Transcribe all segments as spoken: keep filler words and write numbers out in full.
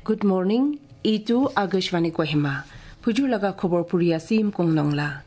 Good morning. Itu Akashvani Kohima. Phujur laga khobor puri asi Imkung Nongla.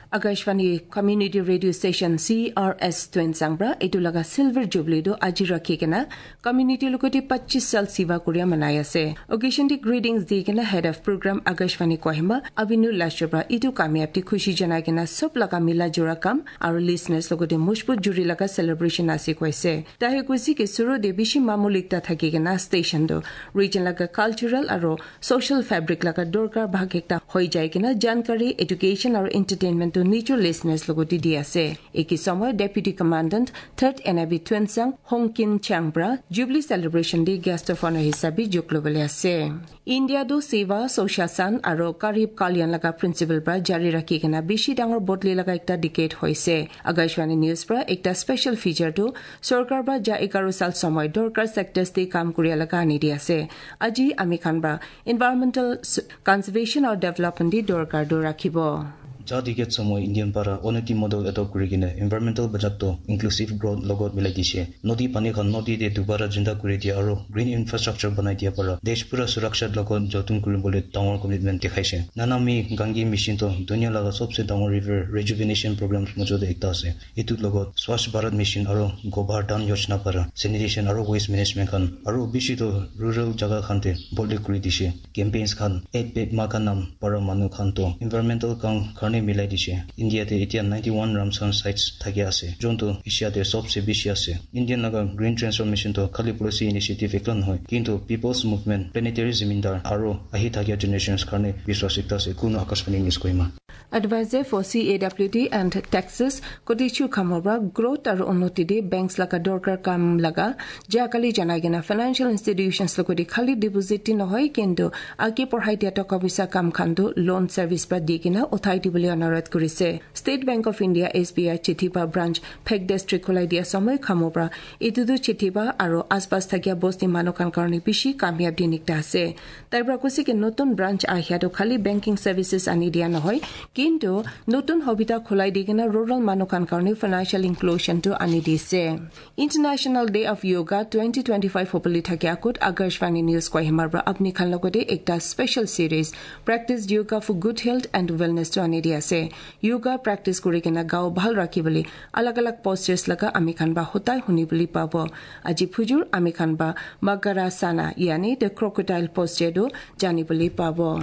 Akashvani Community Radio Station C R S Twensangbra, itu laga Silver Jubilee do aji rakhi kena, community lukoti pachis sal siva kuria manai ase. Occasion di greetings di kena Head of Program Akashvani Kohima, Abinu Lashobra, itu kamiab di khushi janai kena sob laga mila jora kam, aro listeners lukoti mushbut juri laga celebration asi koise. Tahe kusi ke suru de bishi mamulik ta thaki kena station do. Region laga cultural aro social fabric laga dorkar bhag ekta hoi jai kena jankari, education aro entertainment to nicho listeners logo di di ase. Eki somoy Deputy Commandant Third N I B Twensang Hongkin Changbra Jubilee Celebration di guest of honor hisabi juklo bele ase. India do Seva, Soshasan aro Garib Kalyan laga principle pra jari rakhi kena bishi dangor bodli laga ekta decade hoise. Akashvani News pra ekta special feature do sorkar pra ja egaro sal somoy dorkar sectors di kam kuria laga ani di ase. Aji ami khan ba environmental s-, conservation or development di dorkar do rakhibo. Jadike somoy Indian para onoti model adopt kuri kene environmental bajak to inclusive growth logot milai dise. Nodi pani khan nodi de dubara jinda kuri dia aro green infrastructure banai dia para desh pura suraksha logot jotun kuri bole dangor commitment dekhaise. Namami Gange mission to dunia laga sobse dangor river rejuvenation program mojo de ekta ase. Itu logot Swachh Bharat Mission aro Gobhar Dhan Yojana para sanitation aro waste management khan aro bishi to rural jaga khan te boldly kuri dise. Campaigns khan ek ped ma ka naam para manu khan to environmental kam karne milai dise. India te etia ninety-one Ramsar sites thaki ase. Jon to Asia te sobse bishi ase. Indian laga green transformation to khali policy initiative ekla nohoi, kintu people's movement, planetary zamindar aro ahi thakia generations karne biswas ekta ase. Kuno Akashvani News Kohima. Advisor for C A W D and Taxes, koti chu khamobra growth aro unnoti di banks laga dorkar kam laga, jakali janai gena financial institutions lokoti khali deposit ti nohoi kintu ake porhai dia toka bisa kam khandu loan service pra di gena uthai di bole onorat kurise. State Bank of India S B I chithi pa branch Phek District khulai dia somoi khamobra itudu chithi pa aro aspas thakia bosti mano kan karni bishi kamyab di nikta ase. Taibra kusi ke notun branch ahya do khali banking services ani dia nohoi, kintu notun hobita khulai digena rural mano kan karni financial inclusion to ani di se. International Day of Yoga twenty twenty-five hopali thaki akut Akashvani News Kohima bra apni khan logote ekta special series Practice Yoga for Good Health and Wellness to ani di ase. Yoga practice kuri kena gao bhal rakhi bole alag alag postures laga ami khan ba hotai huni bole pabo. Aji phujur ami khan ba Magarasana yani the crocodile posture do jani bole pabo.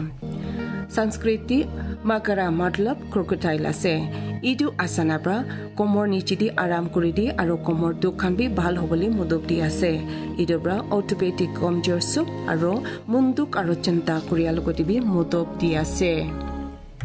Sanskriti Magara matlab crocodile ase. Idu asana bra komor ni chidi aram kuri di aro komor dukhan bi bhal hobole muduk di ase. Idu bra orthopedic komjor suk aro munduk aro chinta kuri alogo di bi muduk di ase.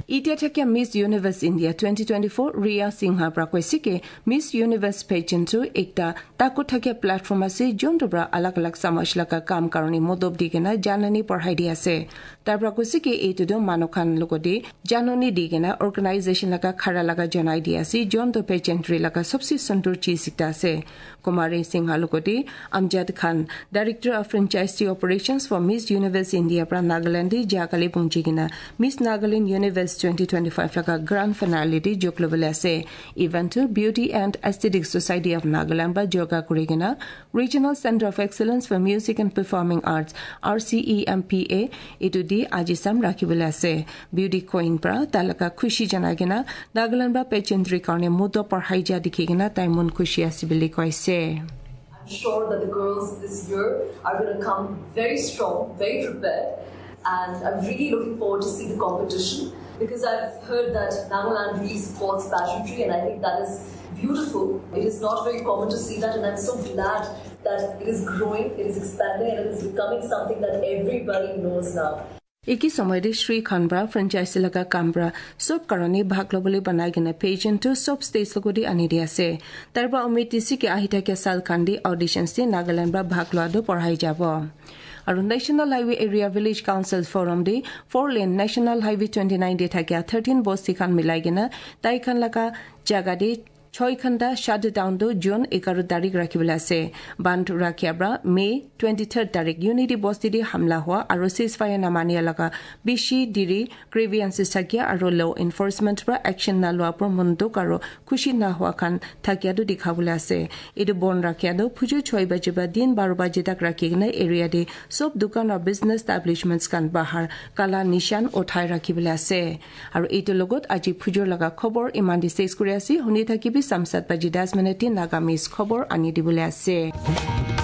Itia thakya Miss Universe India twenty twenty-four Riya Singha bra kwesi ke Miss Universe pageant tu ekta taku thakya platform ase, jon to bra alag alag samaj laga kam karoni modop di gena janani porhai di ase. Tabra kusi ke itu do mano khan logodi janani di gena organization laga khara laga janai di ase, jon to pageantry laga sobse sundur chi sikta ase. Kumari Singha logodi Amjad Khan, Director of Franchise Operations for Miss Universe India pra Nagaland di jakali pungji gena Miss Nagaland Universe twenty twenty-five laga grand finale di joklo bele ase. Event to Beauty and Aesthetic Society of Nagaland ba joga kuri gena Regional Center of Excellence for Music and Performing Arts, R C E M P A, itu di aji sam rakhi bele ase. Beauty Queen pra talaka khushi jana gena Nagaland ba pageantry karne mudo porhai ja dikhi gena taimun khushi asibili koise. I'm sure that the girls this year are gonna come very strong, very prepared, and I'm really looking forward to see the competition because I've heard that Nagaland is God's pageantry, and I think that is beautiful. It is not very common to see that, and I'm so glad that it is growing, it is expanding, and it is becoming something that everybody knows now. Iki somoy de Sri Khanbra franchise laga Kambra sob karoni bhaglo bole banai gena pageant to sob stage logodi ani dia se. Tarba omit tisi ke ahita ke sal kandi auditions de Nagaland ba bhaglo ado porhai jabo. Aru National Highway Area Village Council Forum de four lane National Highway twenty-nine de thakya thirteen bosti khan milai gena tai khan laga jaga de Choi khanda shutdown do June egaro tarik rakhi bole ase. Band rakhiabra May twenty-third tarik Unity Bosti di hamla hua aro ceasefire na mania laga bishi diri grievance sakya aro law enforcement pra action na lua por munduk aro khushi na hua khan thakya do dikha bole ase. Idu bon rakya do phuju choi baje ba din baro baje tak rakhi gnai area di sob dukan aro business establishments khan bahar kala nishan othai rakhi bole ase. Aro ito logot aji phujur laga khobor imandi ses kuri ase, huni thaki bi samsat baji das minute Nagamese khobor ani dibole ase.